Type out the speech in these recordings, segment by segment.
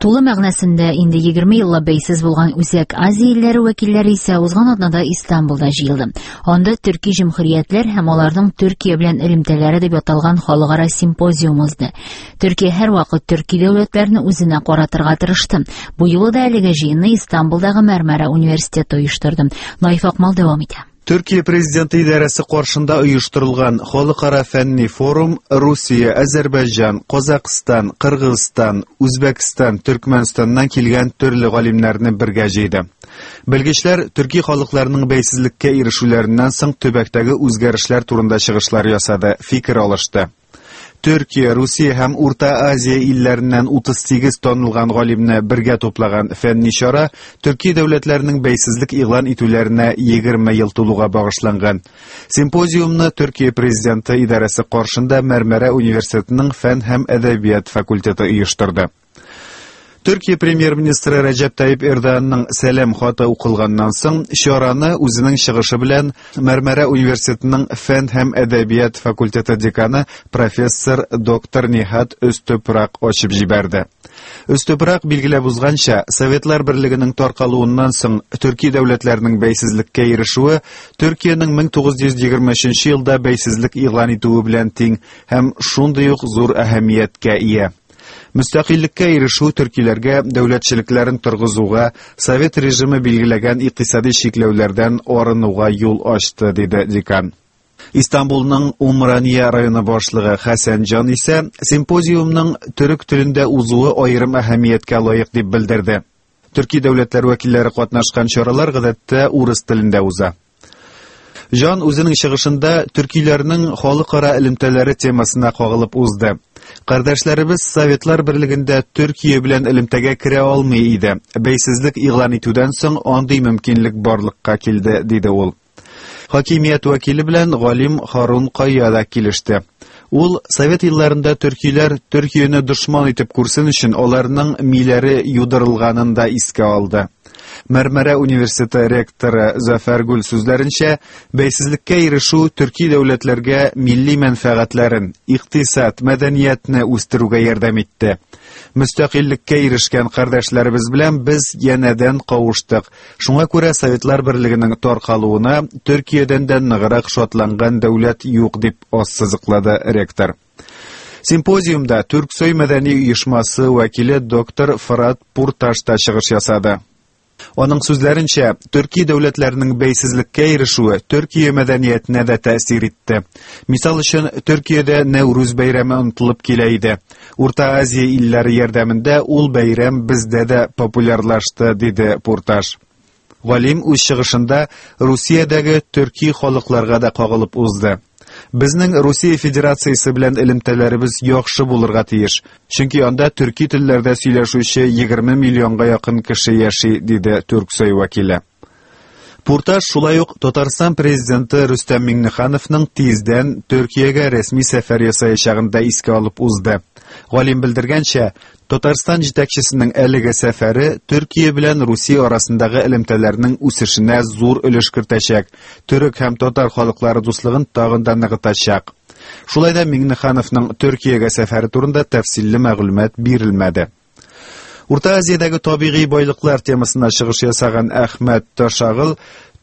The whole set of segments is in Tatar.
Тулы мәгънәсендә инде 20 еллап бәйсез булган Үзәк Азия илләре вәкилләре исә узган атнада Истанбулда җыелды. Анда төрки җөмһүриятләр һәм аларның Төркия белән элемтәләре дип аталган халыкара симпозиум узды. Төркия һәрвакыт төрки дәүләтләрне үзенә каратырга тырышты. Бу юлы да әлеге җыенны Истанбулдагы Мәрмәрә университеты оештырды. Наиф Акмал дәвам итә. Төркия президенты идарәсе каршында оештырылган халыкара фәнни форум Русия, Азәрбайҗан, Казакъстан, Кыргызстан, Үзбәкстан, Төркмәнстаннан килгән төрле галимнәрне бергә җыйды. Белгечләр төрки халыкларның бәйсезлеккә ирешүләреннән соң төбәктәге үзгәрешләр турында чыгышлар ясады, фикер алышты. Төркия, Русия һәм Урта Азия илләреннән 38 танылган галимне бергә туплаган фәнни чара төрки дәүләтләрнең бәйсезлек игълан итүләренә 20 ел тулуга багышланган. Симпозиумны Төркия президенты идарәсе каршында Мәрмәрә университетының фән һәм әдәбият факультеты оештырды. Төркия премьер-министры Рәҗәп Тайип Эрдоганның сәлам хаты укылганнан соң, чараны үзенең чыгышы белән Мәрмәрә университетының фән һәм әдәбият факультеты деканы профессор доктор Ниһат Өстөпрак ачып җибәрде. Өстөпрак билгеләп узганча, Советлар Берлегенең таркалуыннан соң төрки дәүләтләрнең бәйсезлеккә ирешүе Төркиянең 1923 елда бәйсезлек игълан итүе белән тиң һәм шундый ук зур әһәмияткә ия. Мөстәкыйльлеккә ирешү төркиләргә дәүләтчелекләрен торгызуга, совет режимы билгеләгән икътисади чикләүләрдән арынуга юл ачты, диде декан. Истанбулның Умрания районы башлыгы Хәсән Җан исә симпозиумның төрек телендә узуы аерым әһәмияткә лаек дип белдерде. Төрки дәүләтләр вәкилләре катнашкан чаралар гадәттә урыс телендә уза. Жан үзенең чыгышында төркиләрнең халыкара элемтәләре темасына кагылып узды. Кардәшләребез Советлар Берлегендә Төркия белән элемтәгә керә алмый иде. Бәйсезлек игълан итүдән соң андый мөмкинлек барлыкка килде, диде ул. Хакимият вәкиле белән галим Харун Кая да килеште. Ул совет елларында төркиләр Төркияне дошман итеп күрсен өчен аларның миләре юдырылганын да искә алды. Мәрмәрә университеты ректоры Зәфәр Гүл сүзләренчә, бәйсезлеккә ирешү төрки дәүләтләргә милли мәнфәгатьләрен, икътисад, мәдәниятне үстерүгә ярдәм итте. Мөстәкыйльлеккә ирешкән кардәшләребез белән без янәдән кавыштык. Шуңа күрә Советлар Берлегенең таркалуына Төркиядән дә ныграк шатланган дәүләт юк, дип ассызыклады ректор. Симпозиумда Түрксой мәдәни оешмасы вәкиле доктор Фырат Пурташ та чыгыш ясады. Аның сүзләренчә, төрки дәүләтләрнең бәйсезлеккә ирешүе Төркия мәдәниятенә дә тәэсир итте. Мисал өчен, Төркиядә Нәүрүз бәйрәме онытылып килә иде. Урта Азия илләре ярдәмендә ул бәйрәм бездә дә популярлашты, диде Пурташ. Галим үз чыгышында Русиядәге төрки халыкларга да кагылып узды. Безнең Русия Федерациясе белән элемтәләребез яхшы булырга тиеш, чөнки анда төрки телләрдә сөйләшүче 20 миллионга якын кеше яши, диде Түрксой вәкиле. Пурташ шулай ук Татарстан президенты Рөстәм Миңнехановның тиздән Төркиягә рәсми сәфәр ясаячагын да искә алып узды. Галим белдергәнчә, Татарстан җитәкчесенең әлеге сәфәре Төркия белән Русия арасындагы элемтәләрнең үсешенә зур өлеш кертәчәк, төрек һәм татар халыклары дуслыгын тагын да ныгытачак. Шулай да Миңнехановның Төркиягә сәфәре турында тәфсилле мәгълүмат бирелмәде. Урта Азиядәге табигый байлыклар темасына чыгыш ясаган Әхмәт Ташагыл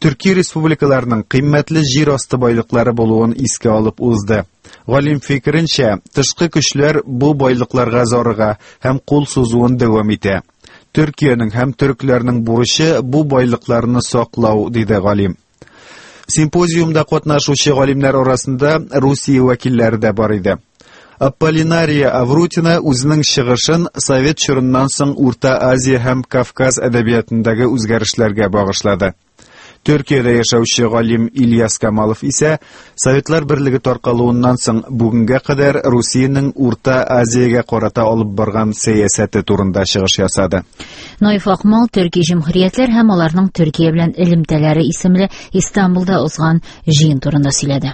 төрки республикаларның кыйммәтле җир асты байлыклары булуын искә алып узды. Галим фикеренчә, тышкы көчләр бу байлыкларга зарыга һәм кул сузуын дәвам итә. Төркиянең һәм төркләрнең бурычы бу байлыкларны саклау, диде галим. Симпозиумда катнашучы галимнәр арасында Русия вәкилләре дә бар иде. Аполлинария Аврутина үзенең чыгышын совет чорыннан соң Урта Азия һәм Кавказ әдәбиятындагы үзгәрешләргә багышлады. Төркиядә яшәүче галим Ильяс Камалов исә Советлар Берлеге таркалуыннан соң бүгенгә кадәр Русиянең Урта Азиягә карата алып барган сәясәте турында чыгыш ясады. Наиф Акмал Төрки җөмһүриятләр һәм аларның Төркия белән элемтәләре исемле Истанбулда узган җыен турында сөйләде.